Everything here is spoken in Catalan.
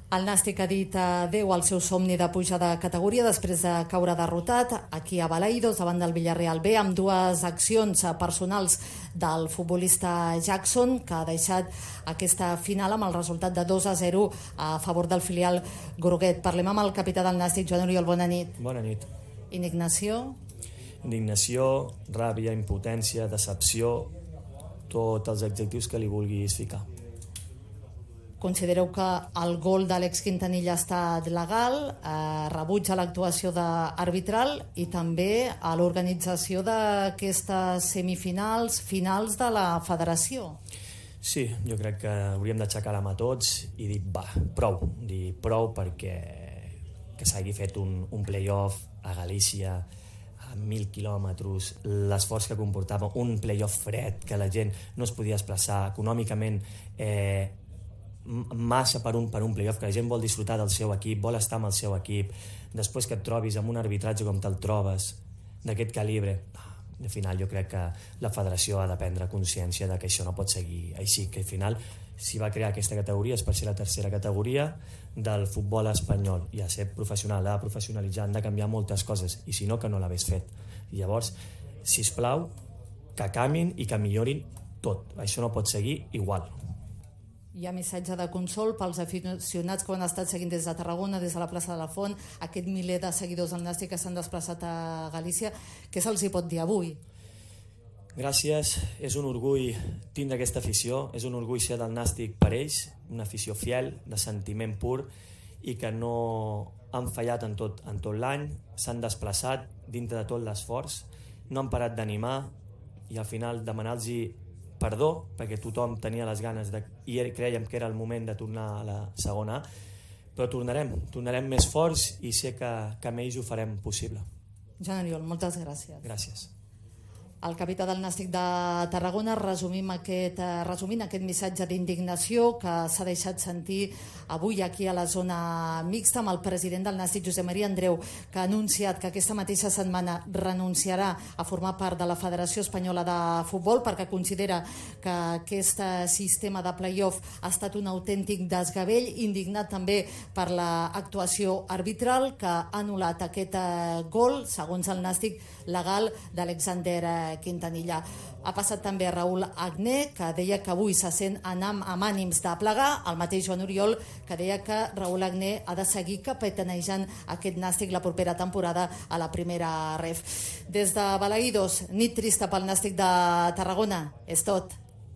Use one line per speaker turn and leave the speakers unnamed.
El Nàstic ha dit adeu al seu somni de pujar de categoria després de caure derrotat aquí a Balaidos davant del Villarreal B amb dues accions personals del futbolista Jackson, que ha deixat aquesta final amb el resultat de 2-0 a favor del filial groguet. Parlem amb el capità del Nàstic, Joan Oriol. Bona nit.
Bona nit.
Indignació?
Indignació, ràbia, impotència, decepció, tots els adjectius que li vulguis ficar.
Considereu que el gol d'Àlex Quintanilla ha estat legal, rebuig a l'actuació arbitral i també a l'organització d'aquestes semifinals, finals de la federació.
Sí, jo crec que hauríem d'aixecar la mà tots i dir prou perquè que s'hagi fet un play-off a Galícia a 1.000 quilòmetres, l'esforç que comportava un play-off fred, que la gent no es podia desplaçar econòmicament, massa per un playoff, que la gent vol disfrutar del seu equip, vol estar amb el seu equip, després que et trobis amb un arbitratge com te'l trobes, d'aquest calibre. Al final jo crec que la federació ha de prendre consciència de que això no pot seguir així, que al final s'hi va crear aquesta categoria és per ser la tercera categoria del futbol espanyol i a ser professional, ha de professionalitzar, han de canviar moltes coses i si no, que no l'hagués fet. I llavors, sisplau, que canviïn i que millorin tot, això no pot seguir igual.
Hi ha missatge de consol pels aficionats que ho han estat seguint des de Tarragona, des de la plaça de la Font, aquest miler de seguidors del Nàstic que s'han desplaçat a Galícia. Què se'ls hi pot dir avui?
Gràcies, és un orgull tindre aquesta afició, és un orgull ser del Nàstic per ells, una afició fiel, de sentiment pur i que no han fallat en tot l'any, s'han desplaçat dintre de tot l'esforç, no han parat d'animar i al final demanar-los perdó, perquè tothom tenia les ganes i crèiem que era el moment de tornar a la segona A, però tornarem més forts i sé que amb ells ho farem possible.
Joan Oriol, moltes gràcies.
Gràcies.
El capità del Nàstic de Tarragona resumint aquest missatge d'indignació que s'ha deixat sentir avui aquí a la zona mixta amb el president del Nàstic, Josep Maria Andreu, que ha anunciat que aquesta mateixa setmana renunciarà a formar part de la Federació Espanyola de Futbol perquè considera que aquest sistema de play-off ha estat un autèntic desgavell, indignat també per l'actuació arbitral que ha anul·lat aquest gol, segons el Nàstic, legal d'Alexander Quintanilla. Ha passat també a Raúl Agné, que deia que avui se sent amb ànims de plegar, el mateix Joan Oriol, que deia que Raúl Agné ha de seguir capitanejant aquest Nàstic la propera temporada a la primera ref. Des de Balaidos, nit trista pel Nàstic de Tarragona, és tot.